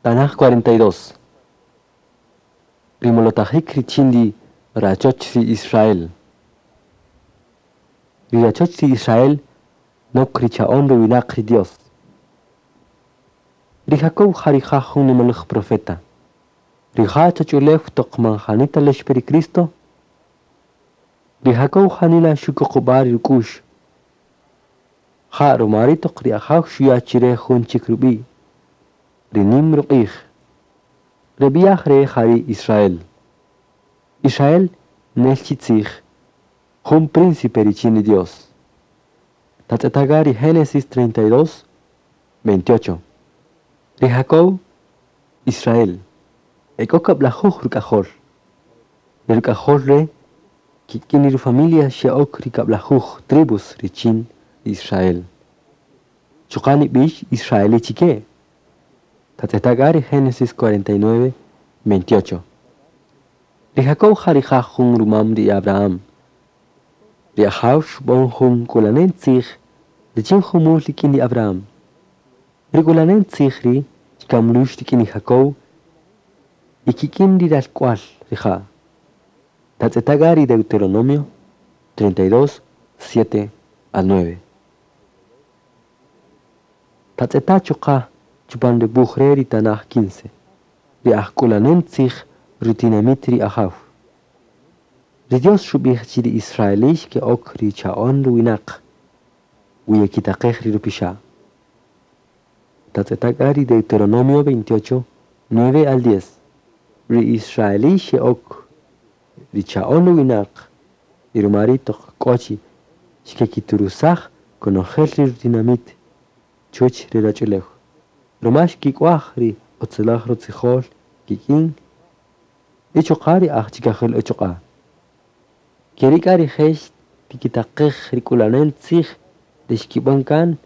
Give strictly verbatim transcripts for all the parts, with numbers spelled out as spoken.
Tanaj cuarenta y dos. Rimolotajik richin ri rachoch ri Israel. Ri rachoch ri Israel nok richa'on ruwinaq ri Dios. Ri Jacob ja rija' jun nimalaj profeta. Rija' choch'ulew toq man janita lexpe ri Cristo. Ri Jacob janila xukuqub'a' ri ruk'u'x. Ja ruma ri' toq ri Ajaw xuya' chire jun chik rub'i', ri nim ruq'ij. Re b'i'aj re' ja ri Israel. Israel nel chi tzij, jun príncipe richin ri Dios. Tatz'etaga ri Génesis treinta y dos, veintiocho. Ri Jacob, Israel, e k'o kab'lajuj ruk'ajol. Ri ruk'ajol re' kik'in ri rufamilia xe'ok ri kab'lajuj tribus richin Israel. Chuqa' nib'ix israelí chike. Tatz'etaga ri Génesis cuarenta y nueve, veintiocho. Ri Jacob ja rija' jun rumam ri Abraham. Ri Ajaw xub'än jun k'ulanen tzij richin jumul rik'in ri Abraham. Ri k'ulanen tzij ri' xkamlux rik'in ri Jacob y kik'in ri ralk'wal rija'. Tatz'etaga ri Deuteronomio treinta y dos, siete al nueve. Tatz'eta chuqa' chupan ri wuj re' ri tanaj quince. Ri ajk'ulanen tzij rutinamit ri Ajaw. Ri Dios xub'ij chi ri israelí xke'ok ri cha'on ruwinaq wi yekitaqej ri rupixa'. Tatz'etaga ri Deuteronomio veintiocho, nueve al diez. Ri israelí xe'ok ri cha'on ruwinaq y ruma ri' toq k'o chi xkekiturusaj konojel ri rutinamit chuwäch ri rach'ulew. Ruma xkik'uaj ri utziläj rutzijol kik'in y chuqa' ri aj chikajel uchuq'a'. Keri' k'a rije' xtikitaqej ri k'ulanen tzij ri xkib'än kan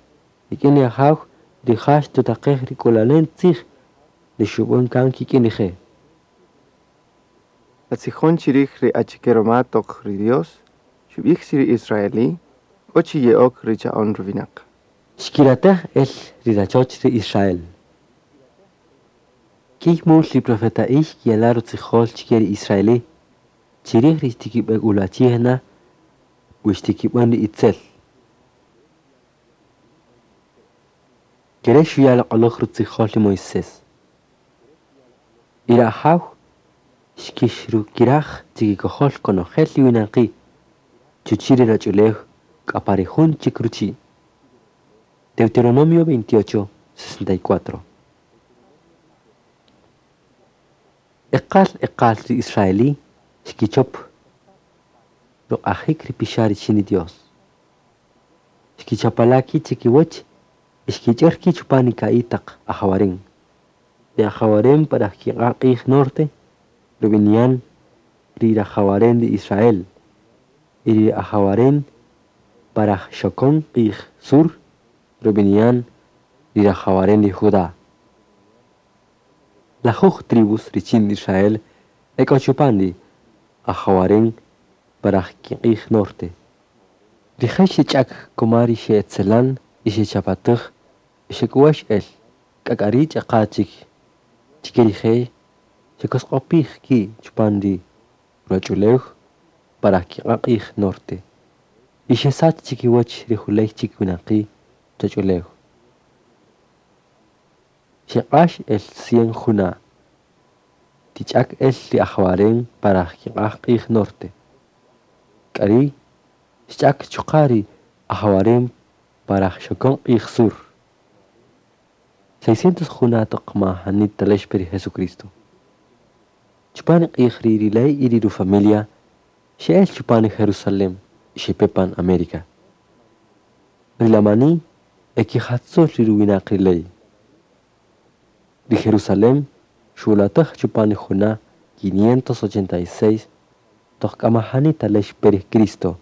rik'in ri Ajaw, rija' xtutaqej ri k'ulanen tzij ri xub'än kan kik'in rije'. Tatzijon chirij ri achike roma toq ri Dios xub'ij chi ri israelí k'o chi ye'ok ri cha'on ruwinaq. Xkiratej el ri rachoch ri Israel. K'iy mul ri profeta'i xkiyala' rutzijol chike ri israelí chirij ri xtikib'ek'ulwachij na wi xtikib'än ri itzel. Kere' xuya' loq'oläj rutzijol ri Moisés. Y ri Ajaw xkixrukiraj chikikojol konojel ri winaqi' chuchi' ri rach'ulew k'a pa ri jun chik ruchi'. Deuteronomio veintiocho, sesenta y cuatro. Eqal eqal ri israelí xkichop ruq'ajik ri pixa' richin ri Dios. Xkichapala' ki' chikiwäch y xkich'är ki' chupan ri ka'i' taq ajawaren. Ri ajawaren para kiq'a' q'ij norte, rub'ini'an ri rajawaren ri Israel, y ri ajawaren para xokon q'ij sur, rub'ini'an ri rajawaren ri Judá. Lajuj tribus richin Israel e k'o chupan ri ajawaren para kiq'ij norte. Rije' xech'ak kuma ri xe'etzelan y xechapatäj y xek'uwex el k'a k'a ri' ch'aqa chik chike rije' xekosq'opij ki' chupan ri ruwach'ulew para kiq'a' q'ij norte y xesach chikiwäch ri juley chik winaqi' choch'ulew. Xeq'ax el cien juna' tich'ak el ri ajawaren para kiq'a' q'ij norte. K'a ri' xch'ak chuqa' ri ajawaren para xokon q'ij sur. seiscientos juna' toq ma janit talexpe ri Jesucristo. Chupan ri q'ij ri ri ley y ri rufamilia xe'el chupan ri Jerusalem y xepe pan América. Ri lamani ekijatzul ri ruwinaq ri ley. Ri Jerusalem xulatej chupan ri juna' quinientos ochenta y seis toq k'amajani talexpe ri Cristo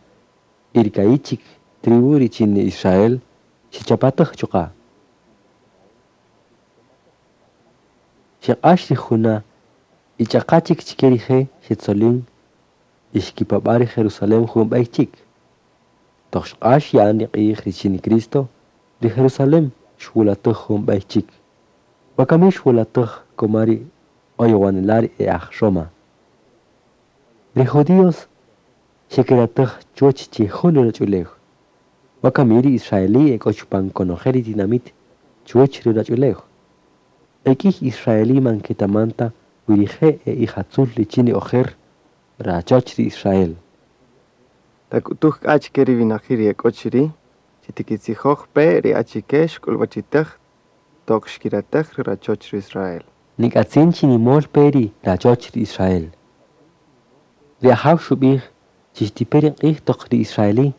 y ri ka'i' chik tribu richin Israel xechapatäj chuqa'. Xeq'ax ri juna' y ch'aqa chik chike rije' xetzolin y xkipab'a' ri Jerusalem jun b'ey chik. Toq xq'ax ya'an ri q'ij richin Cristo, ri Jerusalem xwulatej jun b'ey chik. Wakami xwolatäj kuma ri oyowanela' ri e aj Roma. Ri judíos xekeratäj chuwäch chi jun ri ruwach'ulew. Wakami ri israelí e k'o chupan konojel ri tinamït chuwäch ri ruwach'ulew. E k'ïy israelí man ketaman ta wi rije' e ijatzul richin ri ojer rachoch ri Israel. Tak'utuj k'a chike ri winaqi' ri ek'o chiri' chi tikitzijoj-pe ri achike xk'uluwachitej toq xkiratej ri rachoch ri Israel. Nik'atzin chi nimol pe ri rachoch ri Israel. Ri Ajaw xub'ij chi xtipe ri q'ij toq ri israelí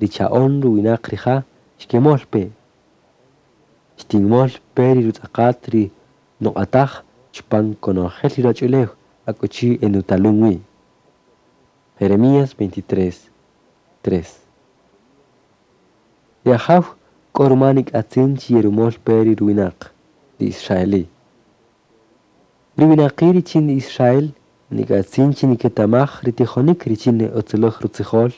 ri cha'on ruwinaq rija' xkemol pe. Xtinmol pe ri rutz'aqat ri nuq'ataj chupan konojel ri ruwach'ulew akuchi enutalun wi. Jeremías veintitrés, tres. Ri Ajaw k'o ruma nik'atzin chi yerumol pe ri ruwinaq, ri israelí. Ri winaqi' richin ri Israel nik'atzin chi niketamaj ri tijonik richin ri utziläj rutzijol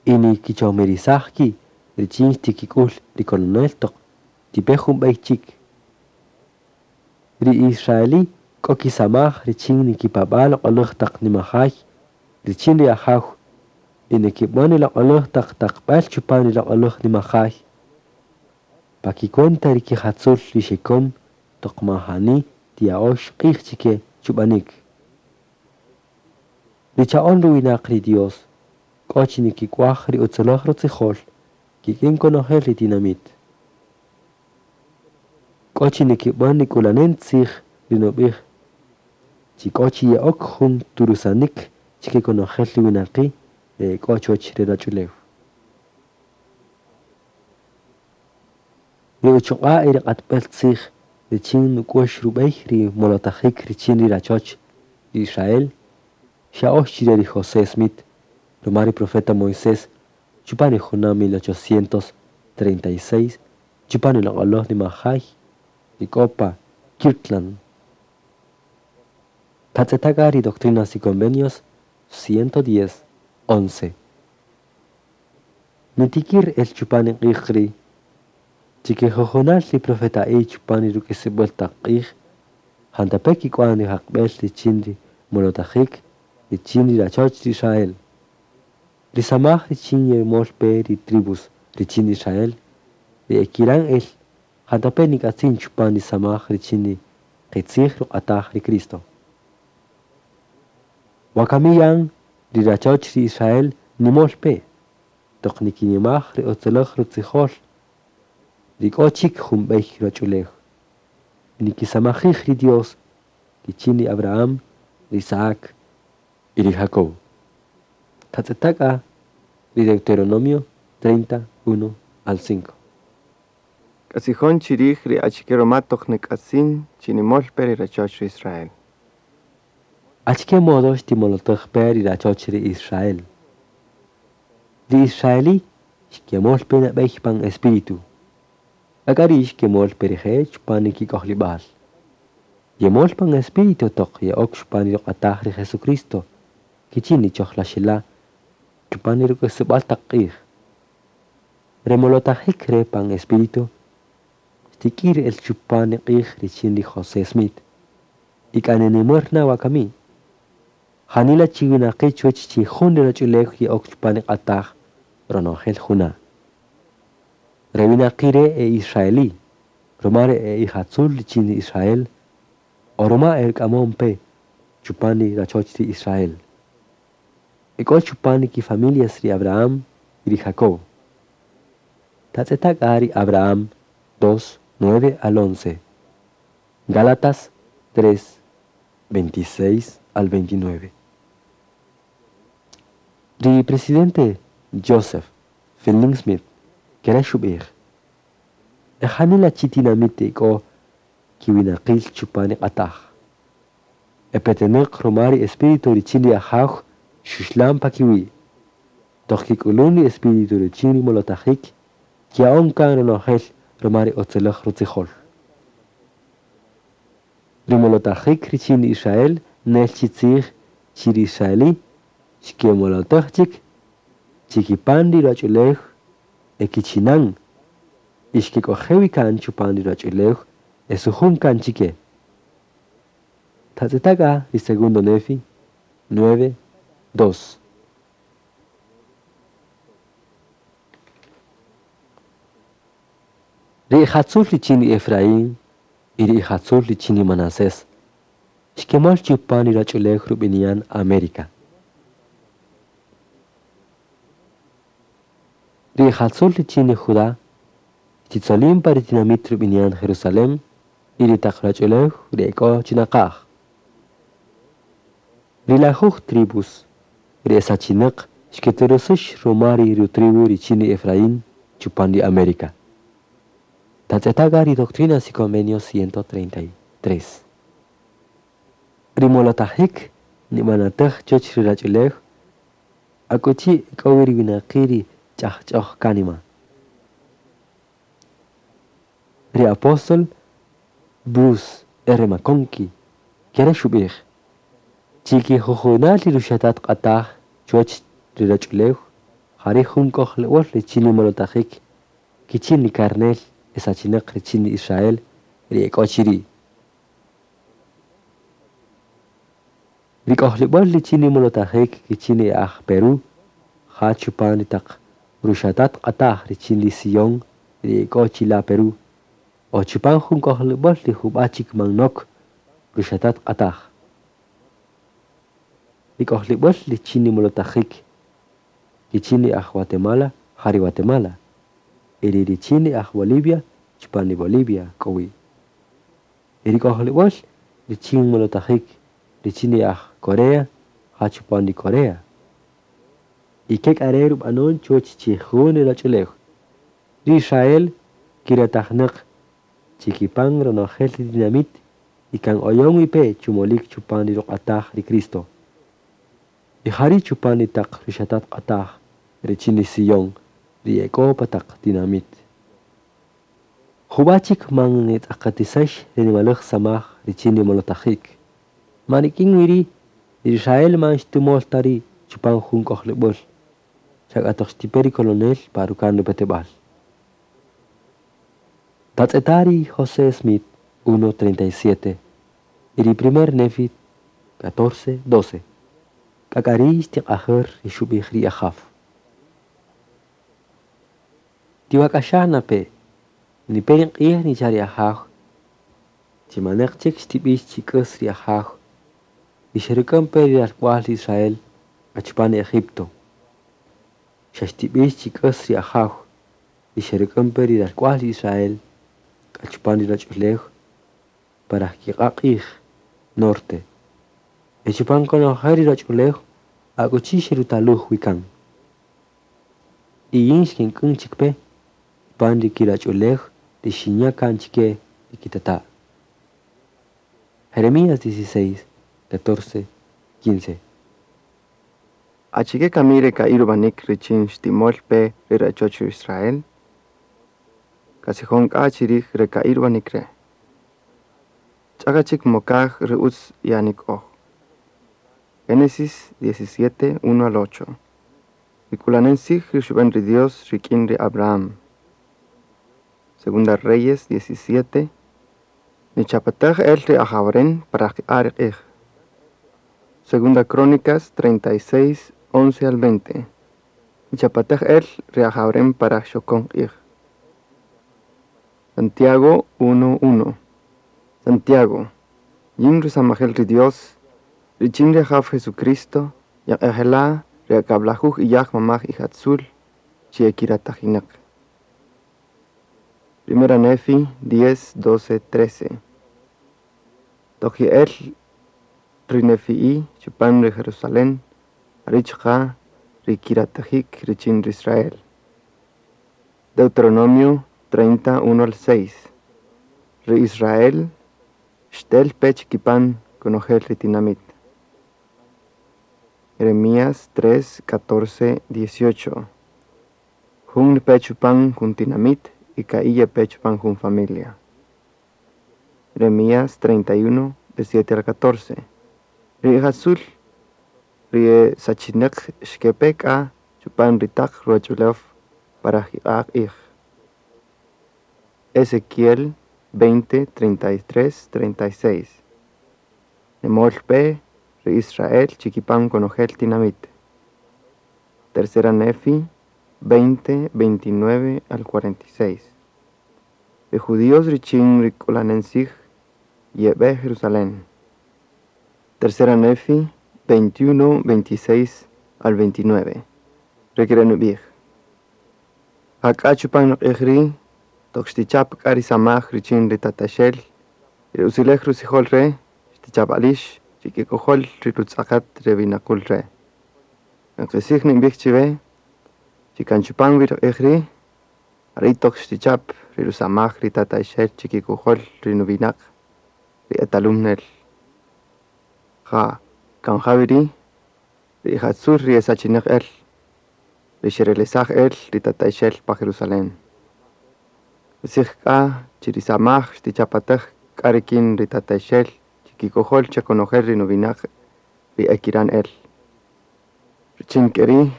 y nikichojmirisaj ki' richin xtikik'ul ri kolonel toq tipe jun b'ey chik. Ri israelí k'o kisamaj richin nikipab'a' loq'oläj taq nimajay richin ri Ajaw y nikib'än ri loq'oläj taq taqb'äl chupan ri loq'oläj nimajay. Pa kicuenta ri kijatzul ri xekom toq man jani tiya'ox q'ij chike chub'anik. Ri cha'on ruwinaq ri Dios k'o chi nikik'uaj ri utziläj rutzijol kik'in konojel ri tinamït. K'o chi nikib'än ri k'ulanen tzij ri nub'ij chi k'o chi ye'ok jun turusanik chike konojel ri winaqi' ri k'o chuwäch ri ruwach'ulew. Ri uchuq'a' y ri q'atb'äl tzij richin nuk'wäx rub'ey ri molotajik richin ri rachoch ri Israel xya'ox chire ri José Smith ruma ri profeta Moisés chupan ri juna' mil ochocientos treinta y seis chupan ri loq'oläj nimajay ri k'o pa Kirtland. Tatz'eta' k'a ri Doctrinas y Convenios ciento diez, once. Nitikir el chupan ri q'ij ri' chike jujunal ri profeta'i chupan ri ruk'isib'äl taq q'ij jantape' kik'wan ri jaqb'el richin ri molotajik richin ri rachoch ri Israel. Ri samaj richin yerumol pe ri tribus richin Israel ri ekiran el jantape' nik'atzin chupan ri samaj richin ri qitzij ruq'ataj ri Cristo. Wakami yan ri rachoch ri Israel nimol pe toq nikinimaj ri utziläj rutzijol ri k'o chik jun b'ey ruwach'ulew. Nikisamajij ri Dios kichin ri Abraham, ri Isaac y ri Jacob. Tatz'eta' k'a ri Deuteronomio treinta, uno al cinco. K'atzijon chirij ri achike ruma toq nik'atzin chi nimol pe ri rachoch ri Israel. Achike modo xtimolotäj pe ri rachoch ri Israel. Ri israelí xkemol pe nab'ey pan espíritu. K'a ri' xkemol pe rije' chupan ri kik'ojlib'al. Yemol pan espíritu toq ye'ok chupan ri ruq'ataj ri Jesucristo kichin ri chojlaxela' chupan ri ruk'isib'äl taq q'ij. Remolotajik re pan espíritu xtik'ir el chupan ri q'ij richin ri José Smith. Y k'a nenimär na wakami. Janila chi winaqi' chuwäch chi jun ri ruwach'ulew ye'ok chupan ri q'ataj ronojel juna'. Re winaqi' re' e israelí, ruma re e ijatzul richin ri Israel o ruma e ruk'amon pe chupan ri rachoch ri Israel. E k'o chupan ri kifamilias ri Abraham y ri Jacob. Tatz'eta' k'a ri Abraham dos, nueve al once. Gálatas tres, veintiséis al veintinueve. Ri presidente Joseph Fielding Smith kere xub'ij. E janila chi tinamït e k'o kiwinaqil chupan ri q'ataj. E petenäq ruma ri espíritu richin ri Ajaw xuxlan pa kiwi'. Toq kik'ulun ri espíritu richin ri molotajik kiya'on kan ronojel ruma ri utziläj rutzijol. Ri molotajik richin ri Israel nel chi tzij chi ri israelí xkemolotäj chik chikipan ri ruwach'ulew e kichinan y xkek'oje' wi kan chupan ri ruwach'ulew E sujun kan chike. Tatz'eta' k'a ri segundo Nefi, nueve, dos. Ri ijatzul richin ri Efraín y ri ijatzul richin ri Manasés xkemol chupan ri ruwach'ulew rubini'an América. Ri ijatzul richin ri Judá xtitzolin pa ri tinamit rubini'an Jerusalén y ri taq ruwach'ulew ri ek'o chinaqaj. Ri lajuj tribus ri esachineq xketurusux ruma ri rutribu richin ri Efraín chupan ri América. Tatz'eta' k'a ri Doctrinas y Convenios ciento treinta y tres. Ri molotajik nibanatej chuwäch ri ruwach'ulew akuchi k'o wi ri winaqi' ri ch'ajch'oj kánima. Ri apóstol Bruce R. McConkie kere xub'ij chikijujunal ri ruxatat q'ataj chuwäch ri ruwach'ulew jari' jun k'ojleb'äl richin ri molotajik kichin ri karnel esachineq richin ri Israel ri ek'o chiri'. Ri k'ojleb'äl richin ri molotajik kichin ri aj Perú ja chupan ri taq ruxatat q'ataj richin ri Sion ri ek'o chila' Perú o chupan jun k'ojleb'äl ri jub'a' chik man nok ruxatat q'ataj. Ri k'ojleb'äl richin ri molotajik kichin ri aj Guatemala ja ri Guatemala y ri richin ri aj Bolivia chupan ri Bolivia k'o wi. Y ri k'ojleb'äl richin molotajik richin ri aj Corea ja chupan ri Corea. Y ke k'a re' rub'anon chuwäch chi jun ri ruwach'ulew. Ri Israel kiratajnäq chikipan ronojel ri tinamit y kan oyon wi pe chumolik chupan ri ruq'ataj ri Cristo. Y jari' chupan ri taq ruxatat q'ataj richin ri Sion ri ek'o pa taq tinamit. Jub'a' chik man nitz'aqatisax ri nimalaj samaj richin ri molotajik. Man rik'in wi ri' ri Israel man xtumol ta ri' chupan jun k'ojleb'äl xa k'a toq xtipe ri colonel pa rukan rupeteb'al. Tatz'eta' ri José Smith uno treinta y siete y ri primer Nefi catorce doce. K'a k'a ri' xtiq'ajär ri xub'ij ri Ajaw. Tiwak'axaj na pe, nipe ri q'ij nicha' ri Ajaw, chimaneq chik xtib'ix chi k'äs ri Ajaw y xeruk'än pe ri ralk'wa'l ri Israel achupan ri Egipto. Xa xtib'ix chi k'äs ri Ajaw y xeruk'än pe ri ralk'wa'l ri Israel achupan ri ruwach'ulew para kiq'a' q'ij norte. Y chupan konojel ri ruwach'ulew akuchi xerutaluj wi kan. Y yin xkink'än chik pe pan ri kiruwach'ulew ri xinya' kan chike ri kitata'. Jeremías dieciséis, catorce, quince. Achike kami re ka'i' rub'anik richin xtimol pe ri rachoch ri Israel? Katzijon k'a chirij re ka'i' rub'anik re'. Ch'aqa chik mokaj ri utz ye'anik'oj. Génesis diecisiete, uno al ocho. Ri k'ulanen tzij ri xub'en ri Dios rik'in ri Abraham. Segunda Reyes diecisiete, nichapatej el ri ajawaren para kiq'a' ri q'ij. Segunda Crónicas treinta y seis, once al veinte. Nichapatej el ri ajawaren para xokon q'ij. Santiago uno, uno. Santiago, yin rusamajel ri Dios, richin ri Ajaw Jesucristo, yaq'ejela ri akab'lajuj iyaj mamaj ijatzul, chi ekiratajineq. Primera Nefi diez, doce, trece. Toq ye'el ri Nefi'i chupan ri Jerusalén, jari' chuqa' ri kiratajik richin ri Israel. Deuteronomio treinta, uno al seis. Ri Israel xtel pe chikipan konojel ri tinamit. Jeremías tres, catorce, dieciocho. Jun pe chupan jun tinamit y ka'i ye pe chupan jun familia. Jeremías treinta y uno, de siete al catorce. Ri ijatzul ri e sachineq xkepe k'a chupan ri taq ruwach'ulew para jiq'a' q'ij. Ezequiel veinte, treinta y tres, treinta y seis. Nemol pe ri Israel chikipan konojel tinamit. Tercera Nefi, veinte, veintinueve al cuarenta y seis. Ri judíos richin ri k'ulanen tzij yebe Jerusalén. Tercera Nefi, veintiuno, veintiséis al veintinueve. Re kere' nubij. Jak'a chupan ri q'ij ri' toq xtichap k'a ri samaj richin ri tataxel, ri utzilej rutzijol re' xtich'abalix chikikojol ri rutz'aqat re winaqul re'. Kan qitzij ninbij chiwe chi kan chupan wi ri q'ij ri', jari' toq xtichap ri rusamaj ri tata'ixel chikikojol ri nuwinaq ri e talun-el. Ja', kan ja wi ri' ri ijatzul ri e sachineq-el, ri xerelesaj-el ri tata'ixel pa Jerusalem. Qitzij k'a chi ri samaj xtichapatej k'a rik'in ri tata'ixel chikikojol konojel ri nuwinaq ri e kiran-el. Richin keri'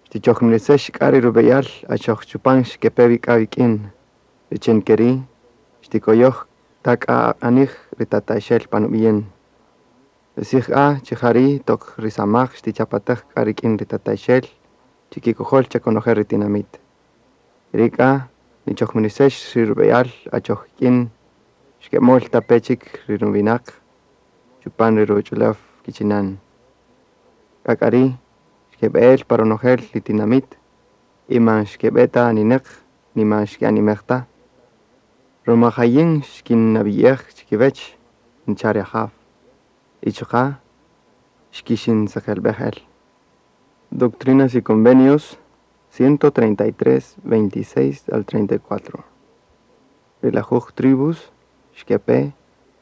xtichojmirisex k'a ri rubeyal achoq chupan xkepe-wi k'a wik'in, richin keri' xtikoyoj ta k'a q'anej ri tata'ixel pa nubi' yin. Qitzij k'a chi jari' toq ri samaj xtichapatej k'a rik'in ri tata'ixel chikikojol konojel ri tinamit. Keri' k'a nichojmirisex ri rubeyal achoq ik'in xkemol ta pe chik ri nuwinaq chupan ri ruwach'ulew kichinan. K'a k'ari' xkebe'el pa ronojel ri tinamit y man xkebe ta anineq, ni man xke'animej ta. Roma ja yin xkinnabiyej chikiwech, ncha' ri ajaw. Y chuqa' xkixintzeqelibej-el. Doctrinas y Convenios, ciento treinta y tres, veintiséis al treinta y cuatro. Ri lajuj tribus xkepe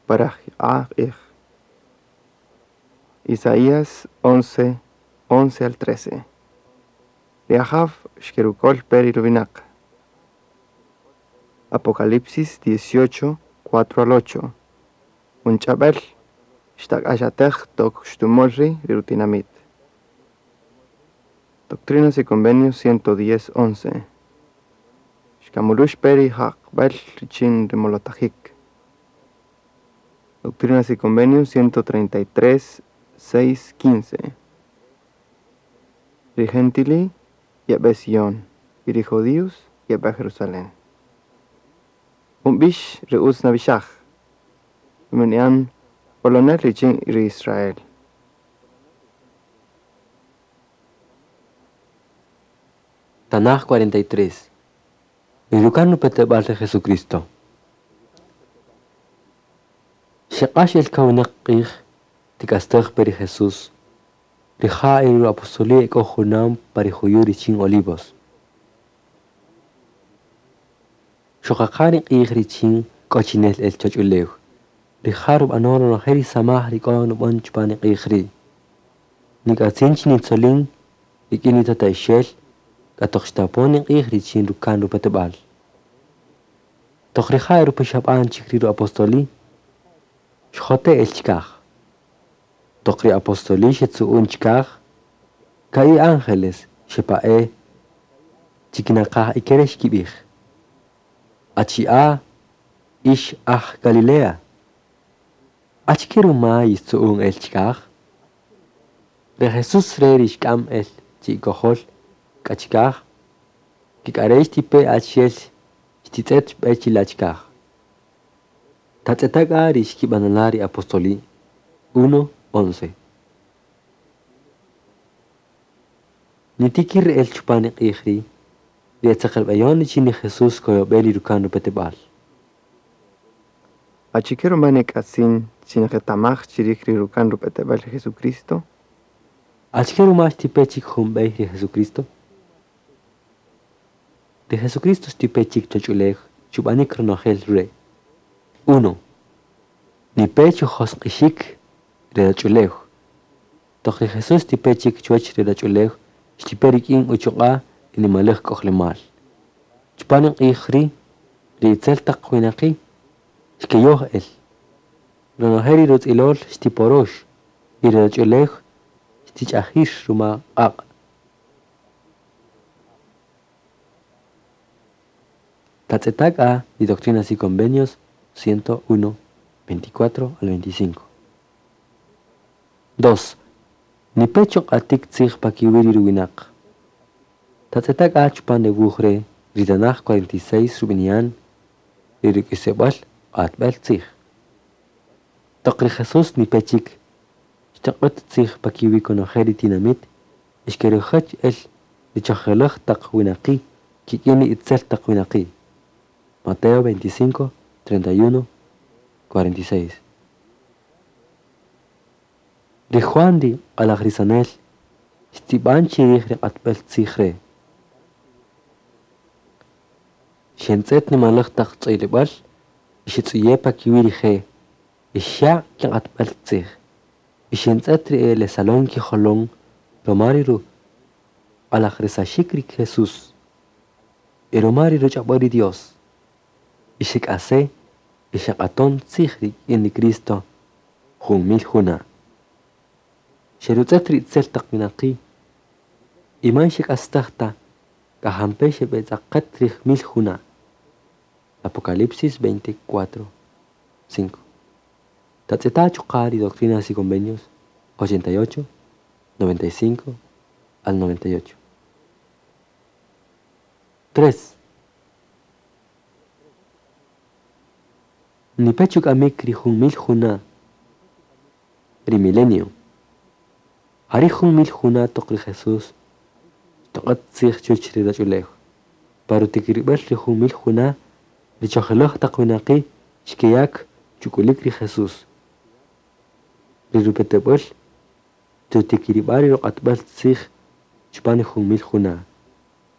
pa rajq'a-q'ij. Isaías once, once al trece. Ri ajaw xkerukol pe ri ruwinaq. Apocalipsis dieciocho, cuatro al ocho. Jun ch'abel xtak'axatej toq xtumol-ri' ri rutinamit. Doctrinas y Convenios ciento diez, once. Xkamulux pe ri jaqbel richin ri molotajik. Doctrinas y Convenios ciento treinta y tres, seis, quince. Ri gentili yebe Sion y ri judíos yebe Jerusalén. Jun bix ri utz nabixaj, rubini'an kolonel richin ri Israel. Tanaj cuarenta y tres. Ri rukan rupeteb'al ri Jesucristo. Xeq'ax el kawinaq q'ij tik'astej pe ri Jesús. Rija' y ri apostoli ek'o junam pa ri juyu' richin Olivos. Xoqaqa ri q'ij richin k'ochinel el choch'ulew. Rija' rub'anon ronojel ri samaj ri k'o nub'än chupan ri q'ij ri'. Nik'atzin chi nitzolin rik'in ri tata'ixel k'a toq xtapon ri q'ij richin rukan rupeteb'al. Toq rija' erupixab'an chik ri apostoli, xjote' el chikaj. Toq ri apostoli xetzu'un chikaj, ka'i' ángeles xepa'e chikinaqaj ikere xkib'ij. Achi'a ix aj Galilea. Achike ruma yixtzu'un el chikaj? Ri Jesús re rixk'am el chi'ikojol k'a chikaj, kik'arex tipe achi'el xtitz'et b'e chila' chikaj. Tatz'eta' k'a ri xkib'anala' ri apostoli uno, once. Nitikir el chupan ri q'ij ri', ri etzeqelb'eyon richin ri Jesús koyob'el ri rukan rupeteb'al. Achike ruma nik'atzin chi nqetamaj chirij ri rukan rupeteb'al ri Jesucristo? Achike ruma xtipe chik jun b'ey ri Jesucristo? Ri Jesucristo xtipe chik choch'ulew chub'anik ronojel re'. Uno. Nipe chujosq'ixik ri rach'ulew. Toq ri Jesús xtipe chik chuwach ri rach'ulew, xtipe rik'in uchuq'a' ri nimalej k'ojlemal. Chupan ri q'ij ri', ri itzel taq winaqi' xkeyoj el. Ronojel ri rutz'ilol xtiporox y ri rach'ulew xtich'ajix ruma q'aq'. Tatz'etaka y Doctrinas y Convenios ciento uno, veinticuatro al veinticinco. Dos. Ni pecho q'atik tzij pakiwi' ri ruwinaq. Tatz'etaka chupan de wuj re' ri tanaj cuarenta y seis rub'ini'an ri ruk'isib'äl q'atb'äl tzij. Toq ri Jesús nipechik xtaq'ät tzij pakiwi' konojel ri tinamit ixkerujäch el ri chojjelaj taq winaqi' kik'in ri itzel taq winaqi'. Mateo veinticinco, treinta y uno, cuarenta y seis. Ri Juan ri q'alajrisanel xtz'ib'an chirij ri q'atb'äl tzij re'. Xentz'et nimalaj taq tz'oylib'äl y xitz'uye' pakiwi' rije' y xa' kiq'atb'äl tzij. Y xentz'et ri elesalon kijolon roma ri ruq'alajrisaxik ri Jesús y roma ri ruch'ab'äl ri Dios. Y xek'ase y xeq'aton tzij rik'in ri Cristo jun mil juna'. Xerutz'et ri itzel taq winaqi' y man xek'astaj ta k'ajampe xeb'etz'aqet rij mil juna'. Apocalipsis veinticuatro, cinco. Tatz'eta chuqa' ri Doctrinas y Convenios ochenta y ocho, noventa y cinco al noventa y ocho. Tres. Nipechu k'amik ri jun mil juna' ri milenio. Jari jun mil juna' toq ri Jesús toq'at tzij chuwäch ri ruwach'ulew. Pero tikirib'el ri jun mil juna' ri chojjelaj taq winaqi' xkeyak chuk'ulik ri Jesús. Ri rupeteb'äl tutikirib'a ri ruq'atb'äl tzij chupan ri jun mil juna'.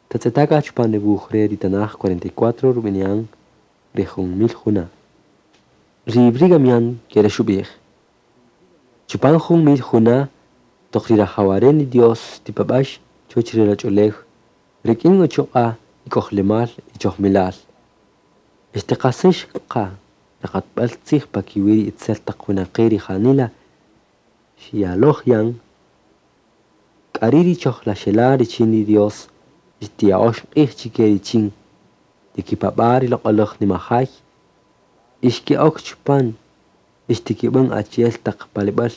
Tatz'etaka chupan ri wuj re ri tanaj cuarenta y cuatro rub'ini'an ri jun mil juna'. Ri Brigham Young kere xub'ij. Chupan jun mil juna' toq ri rajawaren ri Dios tipab'ax chuwäch ri ruwach'ulew rik'in uchuq'a' ik'ojlemal y chojmilal. Ixtiqasix qa ri q'atb'äl tzij pakiwi' ri itzel taq winaqi' ri janila xyaloj yan k'ari' ri chojlaxela' richin ri Dios xtiya'ox q'ij chike richin tikipab'a' ri loq'olaj nimajay ixke'ok chupan ixtikib'an achi'el taq palib'äl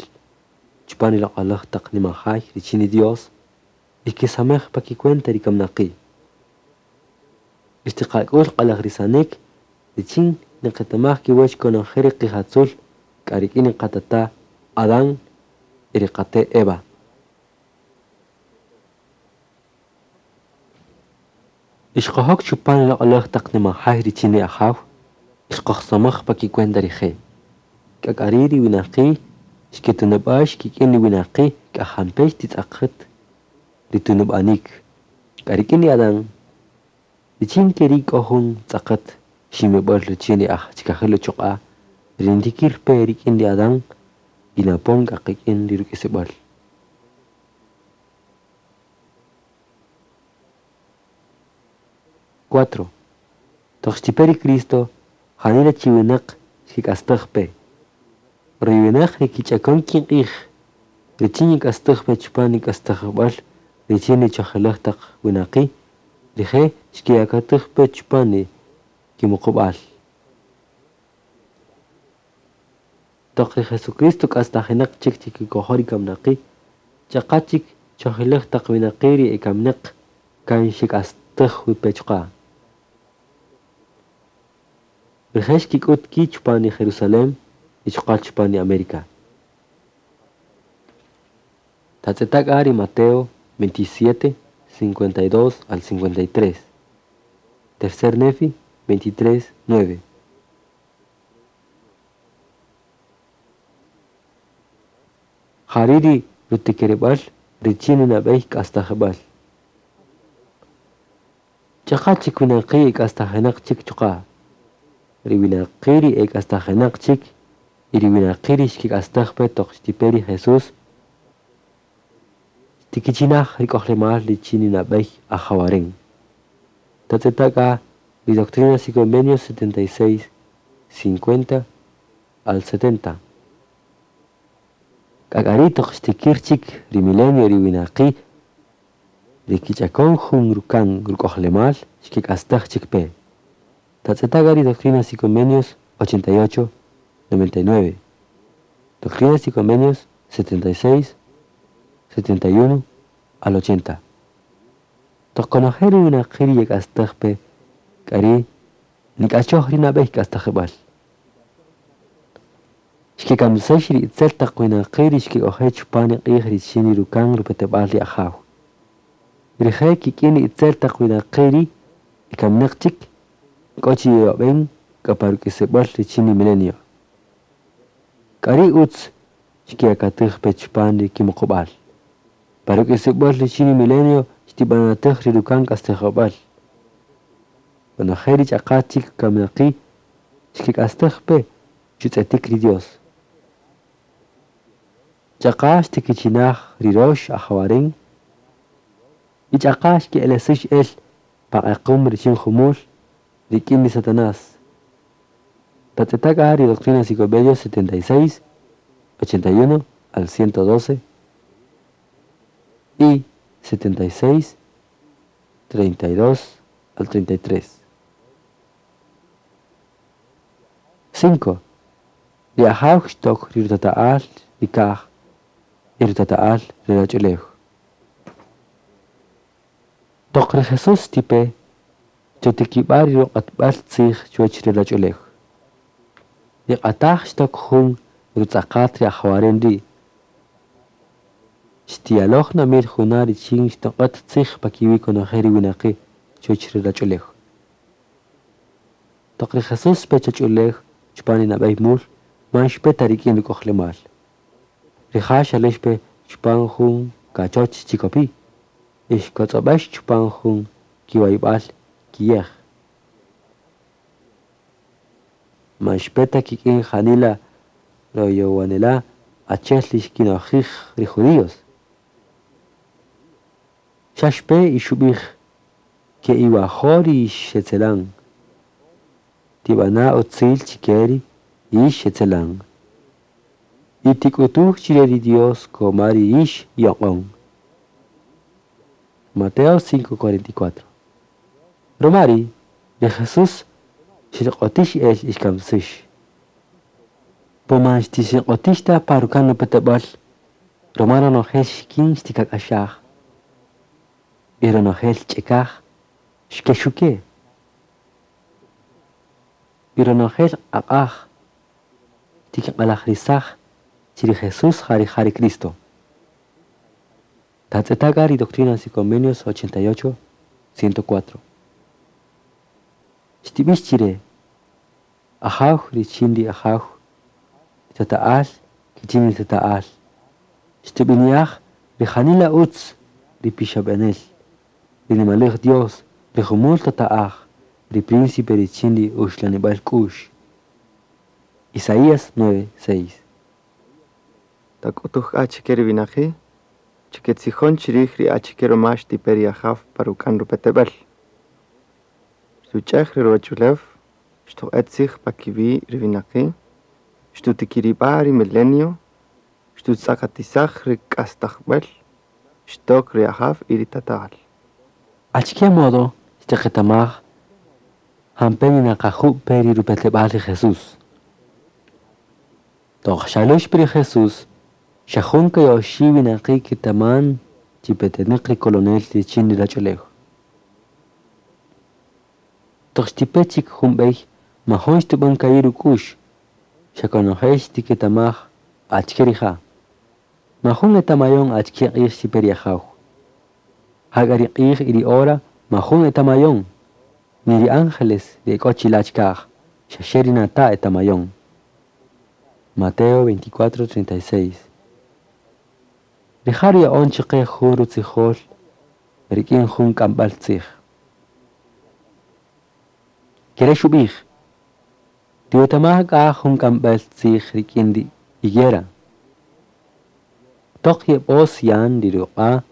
chupan ri loq'olaj taq nimajay richin ri Dios ixkisamej pakicuenta ri kamnaqi'. Ixtiqak'ul q'alajrisanik richin niqetamaj kiwäch konojel ri qijatzul k'a rik'in ri qatata' Adán y ri qate' Eva. Ixqojok chupan ri loq'olaj taq nimajay richin ri Ajaw, ixqojsamaj pakicuenta rije'. K'ak'ari ri winaqi' xketunub'ax kik'in ri winaqi' k'ajampe xtitz'aqet ri tunub'anik. K'a rik'in ri Adán, richin keri' k'o jun tz'aqet ximib'äl richin ri aj chikajil uchuq'a' ri ntikir pe rik'in ri Adán y napon k'a qik'in ri ruk'isib'äl. Cuatro. Toq xtipe ri Cristo, janila chi winäq xkik'astaj pe. Ri winäq ri kich'akon kinq'ij, richin yik'astaj pe chupan ri k'astajb'äl richin ri chojjelaj taq winaqi', rije' xkeyakatäj pe chupan ri kimuqub'äl. Toq ri Jesucristo k'astajinäq chik chikikojol ri kamnaqi', ch'aqa chik chojjelaj taq winaqi' ri ekamnäq kan xek'astaj wi pe chuqa'. Rije' xkik'ut ki' chupan ri Jerusalén y chuqa' chupan ri América. Tatz'etaka ri Mateo veintisiete, cincuenta y dos al cincuenta y tres. Tercer Nefi veintitrés, nueve. Jari ri rutikerib'äl richin ri nab'ey k'astajib'äl. Ch'aqa chik winaqi' k'astajinäq chik chuqa'. Ri winaqi' ri ek'astajinäq chik y ri winaqi' ri xkik'astaj pe toq xtipe ri Jesús xtikichinaj ri k'ojlemal richin ri nab'ey ajawaren. Tatz'etaka ri Doctrinas y Convenios setenta y seis, cincuenta al setenta. K'ak'ari toq xtikir chik ri milenio ri winaqi' ri kich'akon jun rukan ruk'ojlemal xkik'astaj chik pe. Tatz'eta' ri Doctrinas y Convenios ochenta y ocho, noventa y nueve. Doctrinas y Convenios setenta y seis, setenta y uno al ochenta. Toq konojel ri winaqi' ri yek'astaj pe k'a ri' nik'achoj ri nab'ey k'astajib'äl. Xkekamsäx ri itzel taq winaqi' ri xkek'oje' chupan ri q'ij richin ri rukan rupeteb'al ri Ajaw. Rije' kik'in ri itzel taq winaqi' ri ekaminaq chik k'o chi yeyob'en k'a pa ruk'isib'äl richin ri milenio. K'a ri' utz xkeyakatej pe chupan ri kimuqub'al. Pa ruk'isib'äl richin ri milenio xtib'anatäj ri rukan k'astajib'äl. Konojel ri ch'aqa chik kaminaqi' xkek'astej pe chutz'etik ri Dios. Ch'aqa xtikichinaj ri rox ajawaren y ch'aqa xke'elesäx el pa q'equm richin jumul rik'in ri Satanás. Tatz'eta' k'a ri Doctrinas y Convenios setenta y seis, ochenta y uno al ciento doce y setenta y seis, treinta y dos al treinta y tres. Cinco. Ri Ajaw xtok ri rutata'al ri kaj y rutata'al ri ruwach'ulew. Toq ri Jesús tipe chotikib'a ri ruq'atb'al tzij chuwäch ri ruwach'ulew. Ri q'ataj xtok jun rutz'aqat ri ajawaren ri'. Xtiyaloj na mil juna' richin xtoq'et tzij pa kiwi' konojel ri winaqi' chuwäch ri ruwach'ulew. Toq ri Jesús pe choch'ulew chupan ri nab'ey mul man xpe ta rik'in ruk'ojlemal. Rija' xalex pe chupan jun kachoch chikopi' y xkotz'ob'ex chupan jun kiwayb'al kiyej. Man xpe ta kik'in janila royowanela' achi'el ri xkinojij ri judíos. Xa xpe y xub'ij ke'iwajo' ri xetzelan. Tib'ana' utzil chike ri yix xetzelan. Y tik'utuj chire ri Dios koma ri yix yoq'on. Mateo cinco cuarenta y cuatro. Romari, ri Jesús xirq'otix el ixkamsix. Po man xtixirq'otix ta pa rukan rupeteb'al, roma ronojel xikin xtikak'axaj. Y ronojel ch'ekaj xkexuke. Y ronojel aq'aj xtikiq'alajrisaj chi ri Jesús ja rija' ri Cristo. Tatz'eta' k'a ri Doctrinas y Convenios ochenta y ocho, ciento cuatro. Xtib'ix chire Ajaw richin ri Ajaw, tata'al kichin ri tata'al. Xtib'ini'aj ri janila utz ri pixab'anel, ri nimalej Dios, ri jumul tata'aj, ri príncipe richin ri uxlanib'al k'u'x. Isaías nueve, seis. Tak'utuj k'a chike ri winaqi', chike tzijon chirij ri achike roma xtipe ri Ajaw pa rukan rupeteb'el. Xtuch'ej ri ruwach'ulew, xtoq'et tzij pa kiwi' ri winaqi', xtutikirib'a' ri milenio, xtutz'aqatisaj ri k'astajb'äl, xtok ri Ajaw y ri tata'al. Achike modo xtiqetamaj jampe ninaqaju' pe ri rupeteb'al ri Jesús. Toq xalux pe ri Jesús, xa jun kayoxi' winaqi' kitaman chi petenaq ri colonel richin ri ruwach'ulew. Toq xtipe chik jun b'ey majun xtub'än ka'i' ruk'u'x, xa konojel xtiketamaj achike rija'. Majun etamayon achike q'ij xtipe ri Ajaw. Jak'a ri q'ij y ri hora majun etamayon, ni ri ángeles ri ek'o chila' chikaj, xaxe ri nata' etamayon. Mateo veinticuatro, treinta y seis. Rija' ruya'on chaqe jun rutzijol rik'in jun k'amb'äl tzij. Kere xub'ij, tiwetamaj k'a jun k'amb'äl tzij rik'in ri higuera. Toq yeb'os yan ri ruq'a'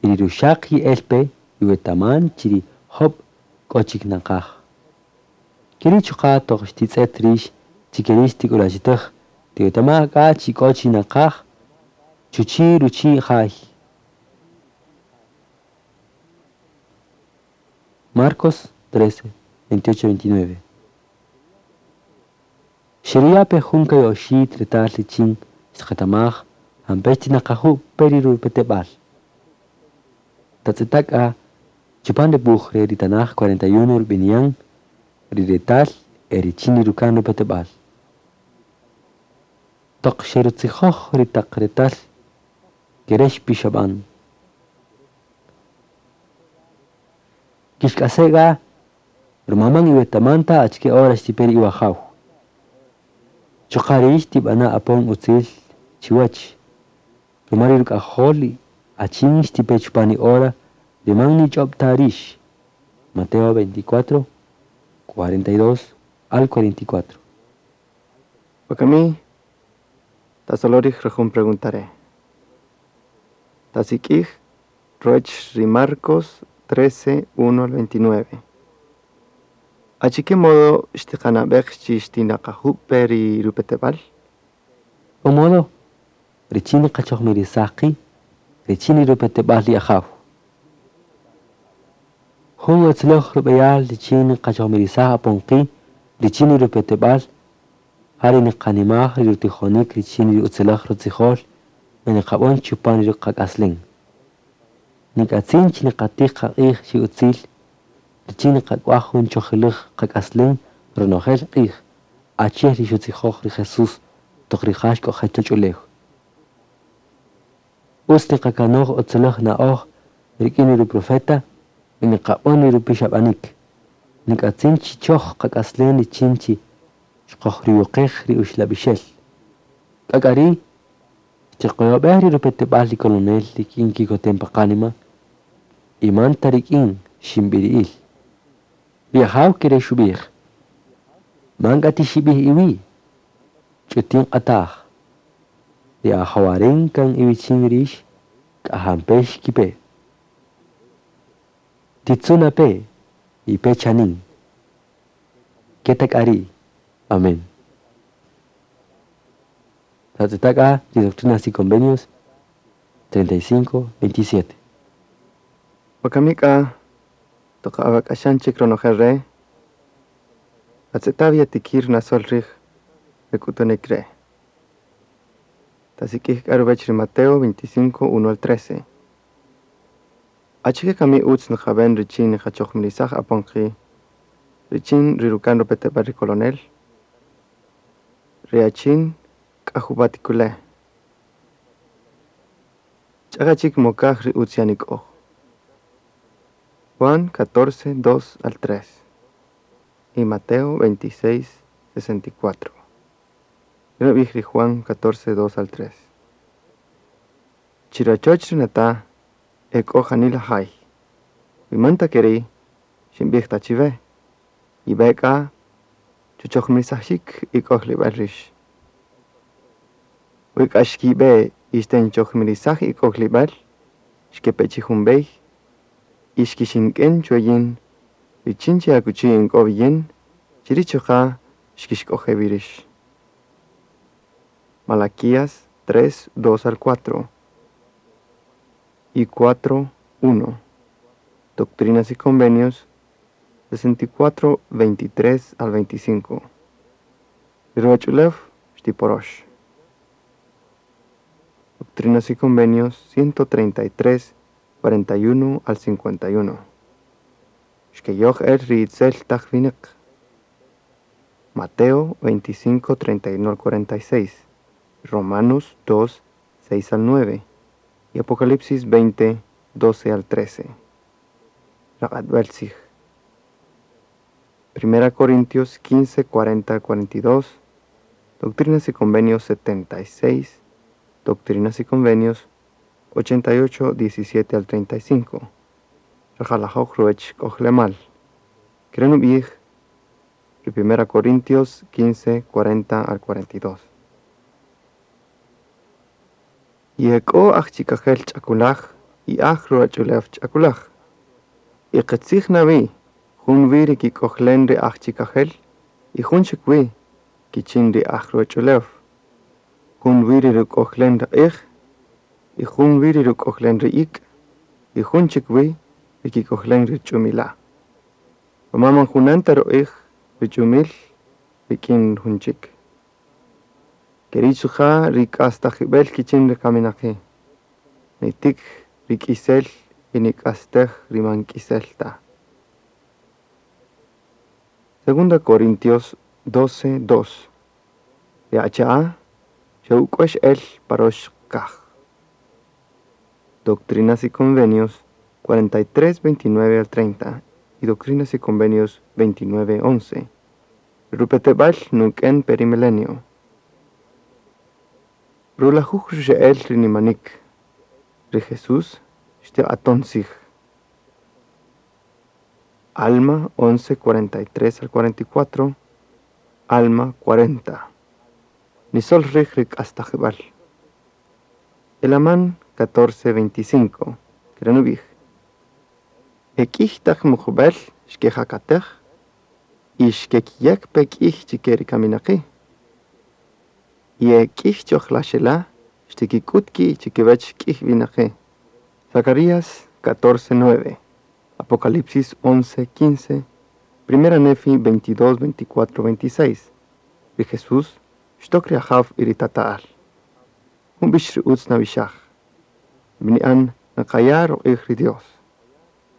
y ri ruxaq ye'el pe iwetaman chi ri jöb' k'o chik naqaj. Keri' chuqa' toq xtitz'et rix chi keri' xtik'ulwachitäj, tiwetamaj k'a chi k'o chi naqaj chuchi' ruchi' jay. Marcos trece, veintiocho veintinueve. Xeruya' pe jun ka'i' oxi' retal richin xtqetamaj jampe' xtinaqaju' pe ri rupeteb'al. Tatz'eta' k'a chupan re wuj re' ri tanaj cuarenta y uno rub'ini'an ri retal e richin ri ruka'n rupeteb'al. Toq xerutzijoj ri taq retal ke re' xpixab'an: Kixk'ase' k'a ruma man iwetaman ta achike hora xtipe ri iwajaw. Chuqa' rïx tib'ana' apon utzil chiwäch, ruma ri ruk'ajol achin xtipe chupan ri hora ri man nich'öb' ta rïx. Mateo veinticuatro, cuarenta y dos al cuarenta y cuatro. Wakami, tasolo' rij re jun pregunta re'. Tasik'ij ruwäch ri Marcos trece, uno al veintinueve. Achike modo xtiqanab'ej chi xtinaqajub' pe ri rupeteb'al? K'o modo richin niqachojmirisaj qi' richin ri rupeteb'al ri Ajaw. Jun utziläj rub'eyal richin niqachojmirisaj apon qi' richin ri rupeteb'al ja ri niqanimaj ri rutijonik richin ri utziläj rutzijol y niqab'än chupan ri qak'aslem. Nik'atzin chi niqatïj qaq'ij chi utzil richin niqak'waj jun chojilëj qak'aslem ronojel q'ij, achi'el ri xutzijoj ri Jesús toq rija' xk'oje' chuwäch ulew. Ütz niqakanoj utziläj na'oj rik'in ri ru-profeta y niqab'än ri rupixab'anik. Nik'atzin chi choj qak'aslem richin chi xkojruyuqej ri uxlab'ixel. K'a k'a ri' xtiqoyob'ej ri rupeteb'al ri kolonel rik'in kikotem pa qanima y man ta rik'in xib'iri'il. Ri Ajaw ke re' xub'ij: Man k'a tixib'ij iwi', ch'utin q'ataj. Ri ajawaren kan iwichin rïx k'a jampe' xkipe. Titzu' na pe, yipe chanin. Ke ta k'a ri'. Amén. Tatz'eta' k'a ri Doctrinas y Convenios treinta y cinco, veintisiete. Wakami k'a toq awak'axan chik ronojel re', atz'eta' yatikïr nasöl rij re k'utunïk re'. Tasik'ij k'a ruwäch ri Mateo veinticinco, uno al trece. Achike kami ütz nqab'än richin niqachojmirisaj apon qi' richin ri ruka'n rupeteb'al ri kolonel? Ri achin k'a jub'a' tikule'. Ch'aqa chik mokaj ri ütz yanik'oj. Juan catorce, dos al tres y Mateo veintiséis, sesenta y cuatro. Nub'ij ri Juan catorce, dos al tres. Chi rachoch ri nata' e k'o janila jay. Wi man ta ke ri' xinb'ij ta chiwe, yib'e k'a chuchojmirisaxik ik'ojlib'al rïx. Wi k'a xkib'e y xtenchojmirisaj ik'ojlib'al, xkepe chi jun b'ey y xkixink'en chwe yin richin chi akuchi in k'o wi yin, chiri' chuqa' xkixk'oje' wi rïx. Malaquías tres, dos al cuatro y cuatro, uno. Doctrinas y Convenios sesenta y cuatro, veintitrés al veinticinco. Ri ruwach'ulew xtiporox. Doctrinas y Convenios ciento treinta y tres, cuarenta y uno al cincuenta y uno. Xkeyoj el ri itzel taq winäq. Mateo veinticinco, treinta y uno al cuarenta y seis, Romanos dos, seis al nueve y Apocalipsis veinte, doce al trece. Raq'atb'äl tzij. Primera Corintios quince, cuarenta al cuarenta y dos, Doctrinas y Convenios setenta y seis, Doctrinas y Convenios ochenta y ocho, diecisiete al treinta y cinco. Rajalajoj ruwäch k'ojlemal. Ke re' nub'ij ri Primera Corintios quince, cuarenta al cuarenta y dos. Y ek'o aj chikajel ch'akulaj y aj ruwach'ulew ch'akulaj. Y qitzij na wi, jun wi ri kik'ojlen ri aj chikajel y jun chik wi kichin ri aj ruwach'ulew. Jun wi ri ruk'ojlen ri q'ij y jun wi ri ruk'ojlen ri ik' y jun chik wi ri kik'ojlen ri ch'umila'. Ruma man junan ta ruq'ij ri ch'umil rik'in jun chik. Ke ri' chuqa' ri k'astajib'el kichin ri kaminaqi'. Nitik ri k'isel y nik'astej ri man k'isel ta. Segunda Corintios doce, dos. Ri achi'a' xe'uk'uex el pa rox kaj. Doctrinas y Convenios cuarenta y tres, veintinueve al treinta y Doctrinas y Convenios veintinueve, once. Rupeteb'al nuk'en pe ri milenio. Rulajuj ruxe'el ri nimanik. Ri Jesús xtiq'aton tzij. Alma once, cuarenta y tres al cuarenta y cuatro, Alma cuarenta. Nisol rij ri k'astajib'al. Elamán catorce, veinticinco, kere' nub'ij. E k'ij taq muqub'el xkejakatej y xkekiyek pe k'ij chike ri kaminaqi'. Y e k'ij chojlaxela' xtikik'ut ki' chikiwech k'ij winaqi'. Zacarías catorce, nueve, Apocalipsis once, quince, Primera Nefi veintidós, veinticuatro, veintiséis. Ri Jesús xtok ri Ajaw y ri Tata'al. Jun b'ix ri utz nab'ixaj. B'ini'an naqaya' ruq'ij ri Dios.